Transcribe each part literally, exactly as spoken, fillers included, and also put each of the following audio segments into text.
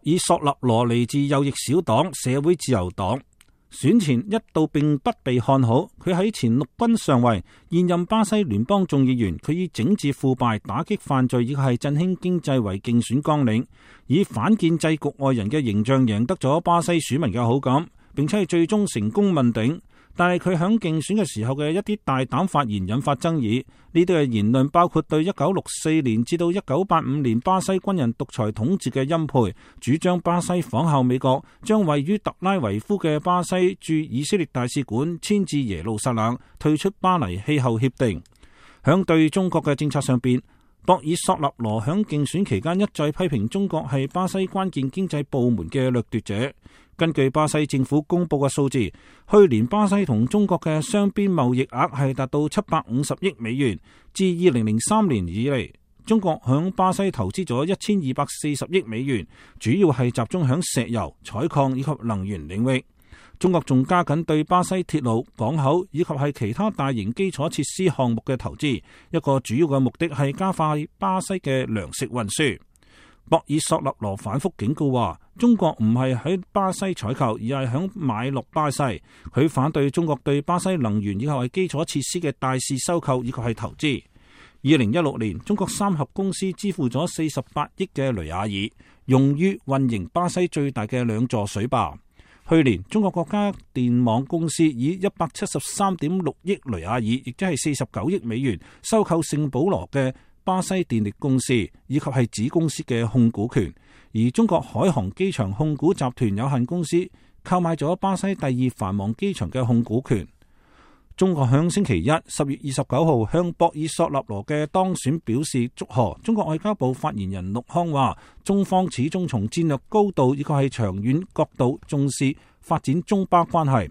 爾索納羅嚟自右翼小黨社會自由黨，選前一度並不被看好。佢喺前陸軍上尉，現任巴西聯邦眾議員。佢以整治腐敗、打擊犯罪以及係振興經濟為競選綱領，以反建制局外人嘅形象贏得咗巴西選民嘅好感，並且係最終成功問鼎。但係佢響競選嘅時候嘅一啲大膽發言引發爭議。呢啲嘅言論包括對一九六四年至到一九八五年巴西軍人獨裁統治嘅欽佩，主張巴西仿效美國，將位於特拉維夫嘅巴西駐以色列大使館遷至耶路撒冷，退出巴黎氣候協定。響對中國嘅政策上邊，博爾索納羅響競選期間一再批評中國係巴西關鍵經濟部門嘅掠奪者。根據巴西政府公布嘅數字，去年巴西同中國嘅雙邊貿易額係達到七百五十億美元。自二零零三年以嚟，中國響巴西投資咗一千二百四十億美元，主要係集中響石油、採礦以及能源領域。中國仲加緊對巴西鐵路、港口以及係其他大型基礎設施項目嘅投資，一個主要嘅目的係加快巴西嘅糧食運輸。博爾索納羅反覆警告話，中國唔係喺巴西採購，而係響買落巴西。佢反對中國對巴西能源以及係基礎設施嘅大肆收購以及係投資。二零一六年，中國三峽公司支付咗四十八億嘅雷亞爾，用於運營巴西最大嘅兩座水壩。去年，中國國家電網公司以一百七十三點六億雷亞爾，亦即係四十九億美元，收購聖保羅嘅巴西電力公司以及係子公司嘅控股權，而中國海航機場控股集團有限公司購買咗巴西第二繁忙機場嘅控股權。中國響星期一十月二十九號向博爾索納羅嘅當選表示祝賀。中國外交部發言人陸康話，中方始終從戰略高度以及係長遠角度重視發展中巴關係，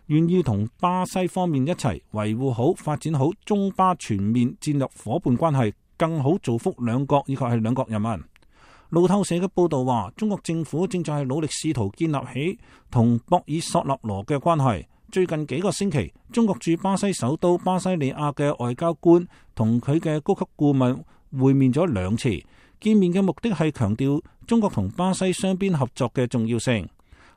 願意同巴西方面一齊維護好、發展好中巴全面戰略夥伴關係，更好造福兩國以及係兩國人民。路透社嘅報道話，中國政府正在努力試圖建立起同博爾索納羅嘅關係。最近幾個星期，中國駐巴西首都巴西利亞嘅外交官同佢嘅高級顧問會面咗兩次，見面嘅目的係強調中國同巴西雙邊合作嘅重要性。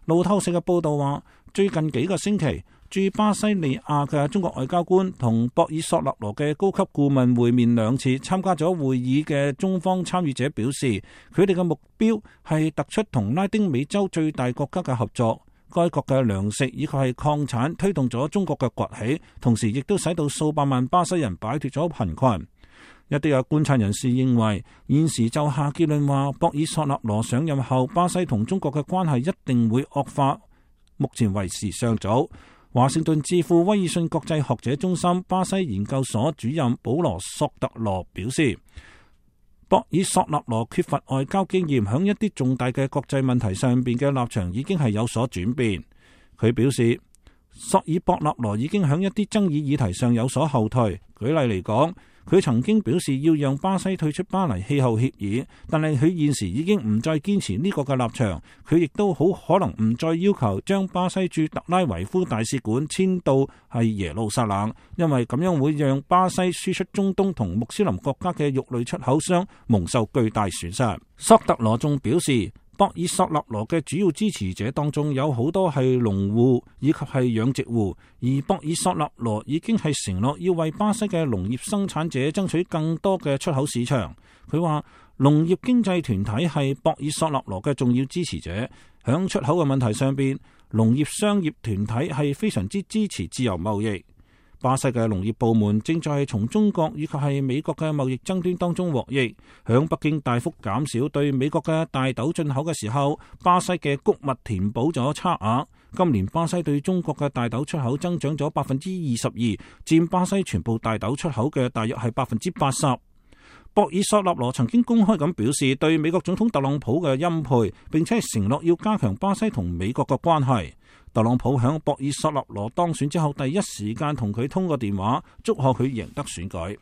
路透社嘅報道話，最近幾個星期，駐巴西利亞嘅中國外交官同博爾索納羅嘅高級顧問會面兩次。參加咗會議嘅中方參與者表示，佢哋嘅目標係突出同拉丁美洲最大國家嘅合作。該國嘅糧食以及係礦產推動咗中國嘅崛起，同時亦都使到數百萬巴西人擺脫咗貧困。一啲嘅觀察人士認為，現時就下結論話，博爾索納羅上任後，巴西同中國嘅關係一定會惡化，目前為時尚早。華盛頓智庫威爾遜國際學者中心巴西研究所主任保羅索特羅表示，博爾索納羅缺乏外交經驗，響一啲重大嘅國際問題上邊嘅立場已經係有所轉變。佢表示，索爾博納羅已經響一啲爭議議題上有所後退。舉例嚟講，佢曾經表示要讓巴西退出巴黎氣候協議，但係佢現時已經唔再堅持呢個嘅立場。佢亦都好可能唔再要求將巴西駐特拉維夫大使館遷到係耶路撒冷，因為咁樣會讓巴西輸出中東同穆斯林國家嘅肉類出口商蒙受巨大損失。索特羅仲表示，博爾索納羅嘅主要支持者當中有好多係農戶以及係養殖戶，而博爾索納羅已經係承諾要為巴西嘅農業生產者爭取更多嘅出口市場。佢話農業經濟團體係博爾索納羅嘅重要支持者，響出口嘅問題上邊，農業商業團體係非常之支持自由貿易。巴西嘅農業部門正在從中國以及係美國嘅貿易爭端當中獲益。響北京大幅減少對美國嘅大豆進口嘅時候，巴西嘅穀物填補咗差額。今年巴西對中國嘅大豆出口增長咗百分之二十二，佔巴西全部大豆出口嘅大約係百分之八十。博爾索納羅曾經公開咁表示對美國總統特朗普嘅欽佩，並且係承諾要加強巴西同美國嘅關係。特朗普響博爾索納羅當選之後，第一時間同佢通過電話，祝賀佢贏得選舉。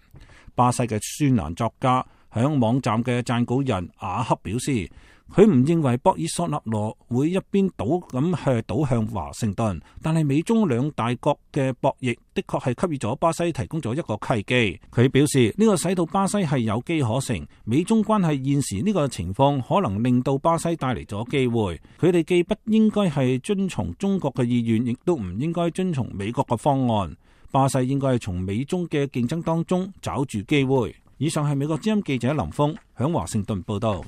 巴西嘅專欄作家響網站嘅撰稿人雅克表示，佢唔認為博爾索納羅會一邊倒咁係倒向華盛頓，但係美中兩大國嘅博弈的確係給予咗巴西提供咗一個契機。佢表示呢個使到巴西係有機可乘，美中關係現時呢個情況可能令到巴西帶嚟咗機會。佢哋既不應該係遵從中國嘅意願，亦都唔應該遵從美國嘅方案。巴西應該係從美中嘅競爭當中找住機會。以上係美國之音記者林峰響華盛頓報道。